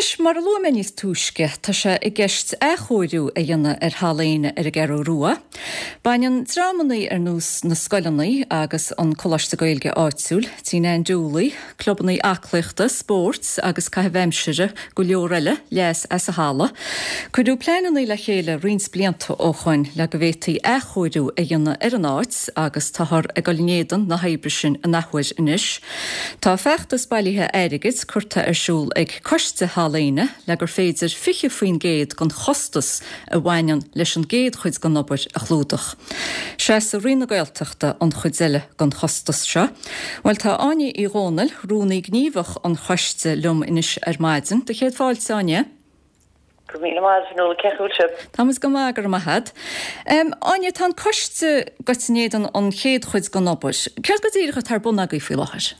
Anois, mar a luaigh mé níos túisce, tá sé i gceist athchóiriú a dhéanamh ar Halla Éanna ar an gCeathrú Rua. Baineann dreamannaí ar nós na scoileannaí agus an Coláiste Gaeilge áitiúil, Tí Nan Dooley, clubannaí aclaíochta, spóirt agus caitheamh aimsire, go leor eile, leas as an halla. Cuireadh pleanannaí le chéile roinnt blianta ó shoin le go bhféadfaí athchóiriú a dhéanamh ar an áit agus táthar ag dul in éadan na hoibre sin an athuair anois. Tá feachtas bailithe airgid curtha ar siúl ag Coiste Halla Éanna le gur féidir 20% den chostas a bhaineann leis an gcéad chuid den obair a chlúdach. Seasfaidh Roinn na Gaeltachta an chuid eile den chostas seo. Bhuel, tá Áine Uí Dhomhnaill, Rúnaí Gníomhach an Choiste, liom anois ar maidin. Do chéad fáilte, Áine. Go raibh míle maith agat, a Fhionnuala, cén chaoi a bhfuil sibh? Tá muid go maith, go raibh maith agat. Áine, tá an coiste gaibhte in éadan an chéad chuid den obair. Céard go díreach atá ar bun agaibh faoi láthair?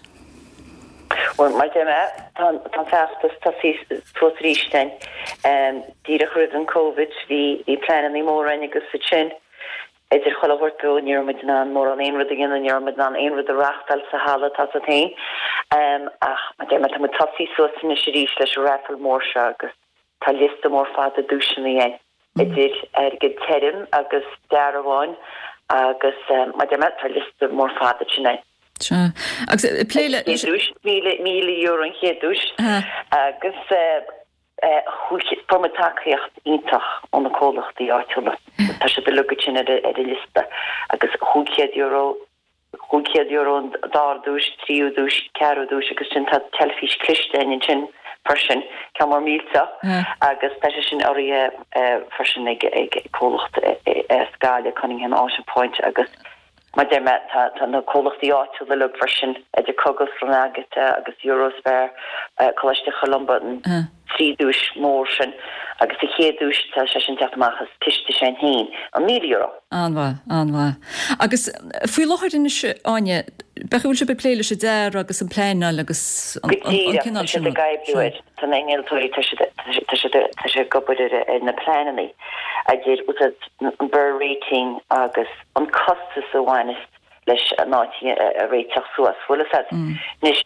Bhuel, mar a deir mé, tá an feachtas tosaithe suas arís againn. Díreach roimh an Covid, bhí pleananna móra againn agus ansin, idir chuile shórt beo, ní raibh muid in ann mórán aon rud a dhéanamh, ní raibh muid in ann aon rud a reáchtáil sa halla, tá a fhios agat féin. Ach, mar a deir mé, tá muid tosaithe suas anois arís leis an raffle mór seo agus tá liosta mór fada duaiseanna againn, idir airgead tirim agus dearbháin agus, mar a deir mé, tá liosta mór fada sin againn. Sea. Agus ag plé le. Chéad duais, €1,000 an chéad duais. Agus fuair muid tacaíocht iontach ó na comhlachtaí áitiúla. Tá siad uilig ansin ar an liosta agus €500, €500 an dara duais, tríú duais, ceathrú duais agus sin tá teilifís cliste againn ansin freisin, ceann mór millteach agus tá sé sin urraithe freisin ag comhlacht as Gaillimh, Cunningham Auto Point agus Mar a deir mé, tá na comhlachtaí áitiúla uilig freisin, idir Cogas, Agatha agus Eurospar, Coláiste Cholumba, an trí duais mór sin agus sa chéad duais tá sé sin teacht amach as ciste s'againn féin, an €1,000. An-mhaith, an-mhaith. Agus faoi láthair anois, Áine, b'fhéidir go bhfuil sibh ag plé leis an dearadh agus an pleanáil agus an Go díreach, cineál tá sin siad ag rud. oibriú air, tá na hinnealtóirí, tá siad, tá siad, tá siad ag obair ar ar na pleananna, idir an BER rating agus an costas a bhaineas leis an áit a réiteach suas, bhfuil fhios a'd. Anois,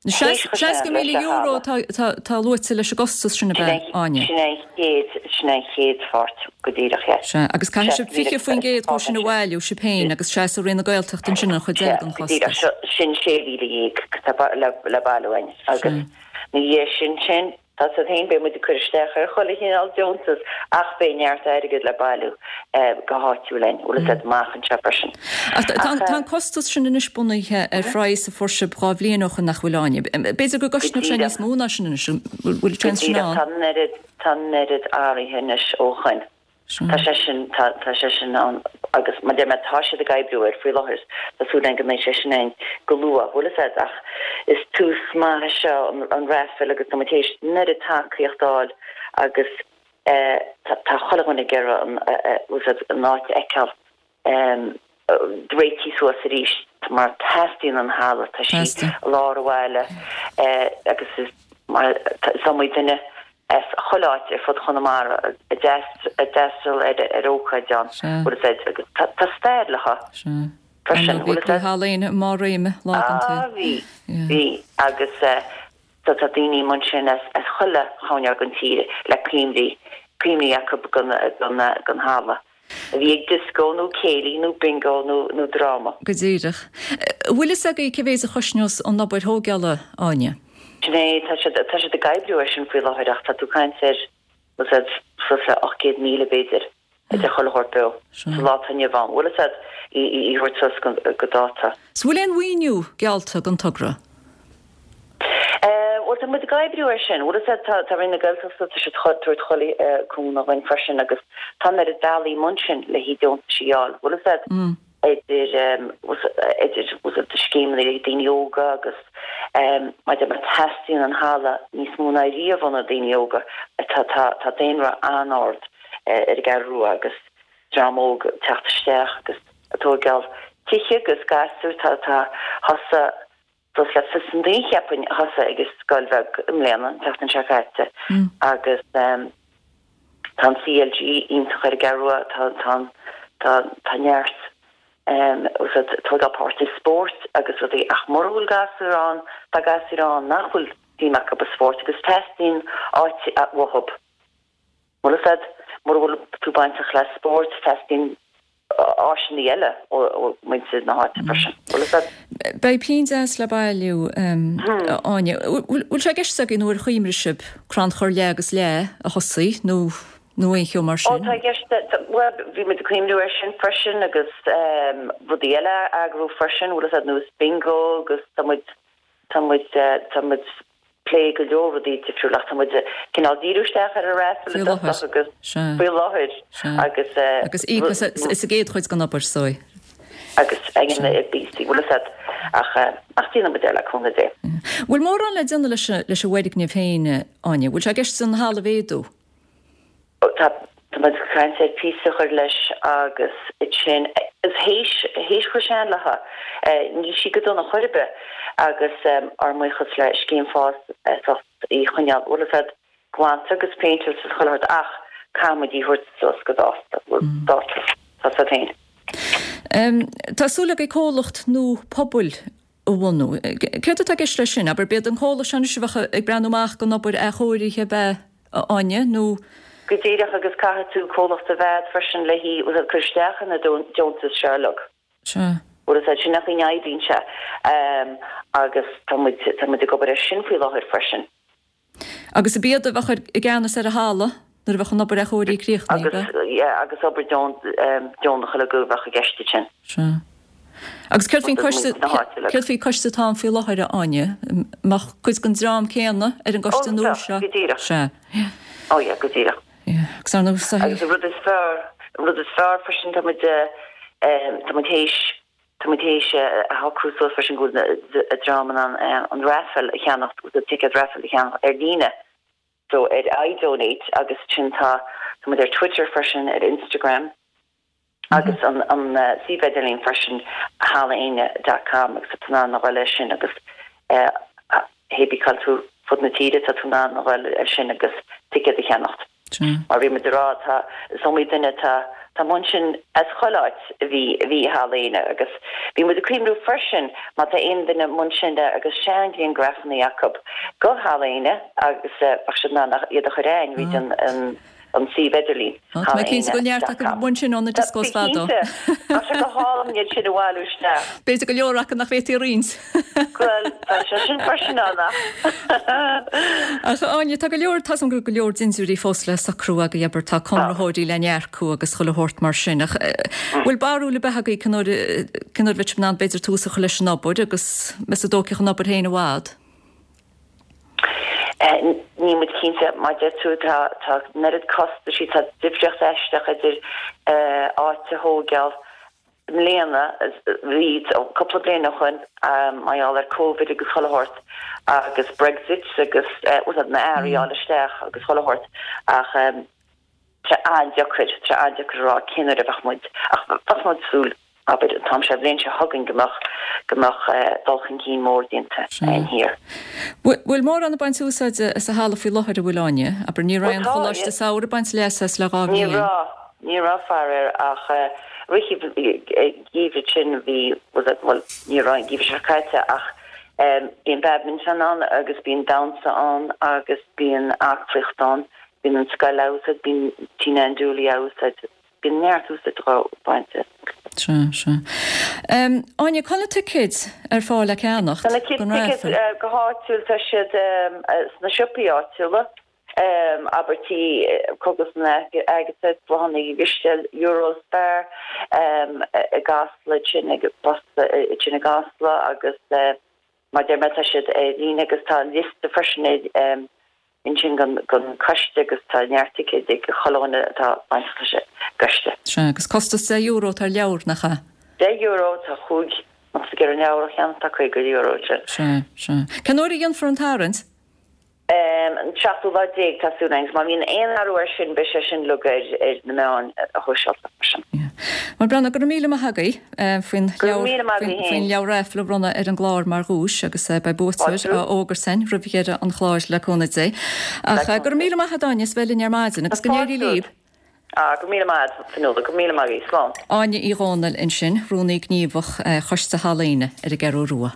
théis €60,000 atá luaite leis an gcostas sin, ab ea, Áine? Sin é an chéad, sin é an chéad pháirt go díreach, yeah. Sea, agus caithfidh sibh 20% dhó sin a bhailiú, sibh féin, agus seasfaidh Roinn na Gaeltachta ansin an chuid eile den chostas. Go díreach, sin 16,000 atá le bailiú againn agus ina dhiaidh sin sin, Tá a fhios a'd féin, beidh muid ag cur isteach ar chuile chineál deontas ach beidh neart airgid le bailiú go háitiúil againn, bhfuil fhios a'd, amach anseo freisin. Ach tá an costas sin anois bunaithe ar phraghas a fuair sibh 2 bhliain ó shoin nach bhfuil, Áine? B'fhéidir go gcosnódh sé níos mó ná sin anois, an bhfuil seans sin ann? Go díreach, tá an oiread, tá an oiread athraithe anois ó shoin. Tá sé sin, tá, tá sé sin ann agus mar a deir mé, tá siad ag oibriú air faoi láthair. Tá súil againn go mbeidh sé sin againn go luath, bhfuil fhios a'd, ach is tús maith é seo an, an raffle agus tá muid théis an oiread tacaíocht a fháil agus eh tá, tá chuile dhuine ag iarraidh an, eh, eh, bhfuil fhios a'd, an áit a fheiceáil. réitithe suas arís mar teastaíonn an halla, tá sí i lár an bhaile agus is mar is iomaí duine as chuile áit ar fud Chonamara a d'fhreastal ar ócáid ann, bhfuil fhios a'd, agus tá stair léi freisin, bhfuil fhios a'd. Bhí Halla Éanna i mbarr réime lá den tsaol. Ah bhí, bhí agus tá daoine ansin as chuile choirnéal den tír le cuimhní, cuimhní acu den halla. A bhí ag dioscó nó céilí nó bingo nó nó dráma. Go díreach. An bhfuil fhios agaibh cé mhéid a chosnós an obair thógála, Áine? Sin é, tá siad, tá siad ag oibriú air sin faoi láthair ach tá tú ag caint ar, bhfuil fhios a'd, suas le 800,000 b'fhéidir, idir chuile shórt beo, sa lá atá inniu ann, bhfuil fhios a'd, í, í, í thabhairt suas go, go dáta. 'S bhfuil aon mhaoiniú geallta don togra? Bhuel, tá muid ag oibriú air sin. Bhfuil fhios a'd, tá, tá Roinn na Gaeltachta, tá siad ag tabhairt chuile cúnamh dhúinn freisin agus tá an oiread bealaí amuigh ansin le haghaidh deontais a fháil. Bhfuil fhios a'd, idir, idir, bhfuil fhios a'd, scéimeanna le haghaidh daoine óga agus mar a deir mé, teastaíonn an halla níos mó ná riamh ó na daoine óga. Tá, tá, tá daonra an-ard ar an gCeathrú Rua agus dream óg ag teacht isteach agus ag tóigeáil tithe agus gasúir, tá, tá, thosaigh, Suas le fios an duine cheapfainn a thosaigh ag an scoil bheag i mbliana, an tseachtain seo caite, agus tá an CLG iontach ar an gCeathrú Rua, tá, tá, tá, tá neart tógáil páirt i spóirt agus rudaí ach mura bhfuil gasúir ann, tá gasúir ann nach bhfuil. suim acu i spórt agus teastaíonn áit uathub. Bhfuil fhios a'd, mura bhfuil tú bainteach le spórt, teastaíonn áiseanna eile ó mhuintir na háite freisin. Bhfuil fhios a'd. Beidh pingin deas le bailiú, a Áine. Bhfuil sé i gceist agaibh nó ar chuimhneamh sibh crannchur leath agus leath a thosaí nó nó aon cheo mar sin? Ó tá i gceist, bhuel bhí muid ag cuimhniú air sin freisin agus rudaí eile a eagrú freisin, bhfuil fhios a'd, nós bingo agus tá muid, tá muid, tá muid plé go leor rudaí difriúla ach tá muid cineál díriú isteach ar an raffle i dtosach agus faoi láthair agus. Agus íoc as sa gcéad chuid den obair so. Agus ag an bpíosaí, bhfuil fhios a'd, ach ach déanfaidh muid é le cúnamh Dé. Bhfuil mórán le déanamh leis an bhfoirgneamh féin, Áine? Bhfuil sé i gceist an halla a mhéadú? Tá muid ag caint ar phíosa a chur leis agus ansin is théis théis chomh sean léithe níl sí go dona chor ar bith agus ár mbuíochas le Scéim Fás as ucht í a choinneáil bhfuil fhios a'd glanta agus péinteáilte is chuile shórt ach caithfidh muid í a thabhairt suas go dáta dáta tá fhios a'd féin. Tá súil agaibh comhlacht nua pobail a bhunú. Céard atá i gceist leis sin? Abair, b'iad an comhlacht seo anois a bheadh ag breathnú amach don obair athchóirithe ab ea, a Áine, nó? Go díreach, agus caithfidh tú comhlacht a bheith agat freisin le hí a chur isteach ar na deontais seo uilig. Sea. Bhfuil fhios a'd, sin an chaoi a n-oibríonn sé. Agus tá muid, tá muid ag obair air sin faoi láthair freisin. Agus ab iad a bheadh i gceannas ar an halla nuair a bheadh an obair athchóirithe críochnaithe, ab ea? Agus, yeah, agus obair deonach uilig a bheadh i gceist ansin. Sea. Agus céard faoin coiste, céard faoin coiste atá ann faoi láthair, a Áine? Mbeadh cuid den dream céanna ar an gcoiste nua seo? Ó, go díreach. Sea. Yeah. Oh yeah, go díreach. Yeah. Agus ar ndóigh, Agus an rud is fearr, an rud is fearr freisin, tá muid, tá muid théis, Tá muid théis a shocrú suas freisin go bhfuil an dream in ann an raffle a cheannacht, an ticéad raffle a cheannach ar líne, so ar iDonate agus ansin tá tá muid ar Twitter freisin, ar Instagram agus an an suíomh idirlín freisin hallaéine dot com agus tá tú in ann a dhul air sin agus hé bí cá bhfuil tú fud na tíre tá tú in ann a dhul air sin agus ticéad a cheannacht. Mar bhí muid ag rá, tá, is iomaí duine atá, tá amuigh ansin as chuile áit a bhí, a bhí i Halla Éanna agus bhí muid ag cuimhniú freisin má tá aon duine amuigh ansin agus seanghriangrafannaí acu go Halla Éanna agus bheadh siad in ann iad a chur a'ainn fríd an, an, an suíomh idirlín, Tá mé cinnte go bhfuil neart acu amuigh ansin ó na discos fadó. Cinnte, tá sé go hálainn iad sin a bhailiú isteach. B'fhéidir go leor acu nach bhféadfaí a roinnt. Bhuel, tá sé sin freisin ann ach. Ach a Áine, tá go leor, tá 's agam go bhfuil go leor dintiúirí fós le socrú agaibh, abair, tá conraitheoirí le n-earcú agus chuile shórt mar sin, ach bhfuil barúil ar bith agaibh cén uair, cén uair a bheidh sibh in ann b'fhéidir tús a chur leis an obair agus meas tú an dtógfaidh an obair féin i bhfad? Níl muid cinnte, mar deir tú, tá, tá an oiread costaisí, tá difríocht aisteach idir áit a thóigeáil, I mbliana, bhí cúpla bliain ó shoin, mar gheall ar Covid agus chuile shórt, agus Brexit agus bhfuil na earraí a fháil isteach agus chuile shórt, ach tá sé an-deacair, tá sé an-deacair a rá cén uair a bheadh muid, ach bheadh muid ag súil, abair, an t-am seo, an bhliain seo chugainn go mbeadh, go mbeadh dul chun cinn mór déanta thiar. Bhfuil mórán ag baint úsáide as an halla faoi láthair, an bhfuil, Áine? Abair, ní raibh an Choláiste Samhraidh ag baint leasa as le 2 bhliain. Ní raibh. Ní raibh faraor ach rith an gheimhridh sin bhí, bhuel ní raibh an geimhreadh seo caite ach bíonn badminton ann agus bíonn damhsa ann agus bíonn aclaíocht ann, bíonn an scoil á úsáid, bíonn Tina Ann Dooley á úsáid, bíonn neart úsáid dhá baint as. Sea, sea. Áine, cá bhfuil na ticéid ar fáil le ceannacht Tá na ticéid go háitiúil, tá siad sna siopaí áitiúla. Abair Cógaslann Agatha, Bláthanna Uí Drisceoil, Eurospar i gCasla ansin ag bosca ansin i gCasla agus mar deir mé tá siad ar líne agus tá liosta freisin ansin den coiste agus tá neart ticéid ag chuile dhuine atá bainteach leis an gcoiste. Sea, agus costas €10 atá ar leabhar, nach ea? €10, tá chúig, má tá tú ag iarraidh an leabhar a cheannach tá €50 ansin. Sea, sea. Cén uair a dhéanfar an tarraingt? An seachtú lá déag, tá súil againn, agus má bhíonn aon athrú air sin, beidh sé sin uilig ar na meáin shóisialta freisin. Bhuel, Brenna, go raibh míle maith agaibh faoin faoin leabhar raifil a bhronnadh ar an gclár mar dhuais agus beidh buaiteoir á fhógairt againn roimh dheireadh an chláir le cúnamh Dé. Ach go raibh míle maith agat, Áine, as bheith linn ar maidin agus go n-éirí libh. Ah, go raibh míle maith agat, Fionnuala, go raibh míle maith agat, slán. Áine Uí Dhomhnaill ansin, Rúnaí Gníomhach Choiste Halla Éanna ar an gCeathrú Rua.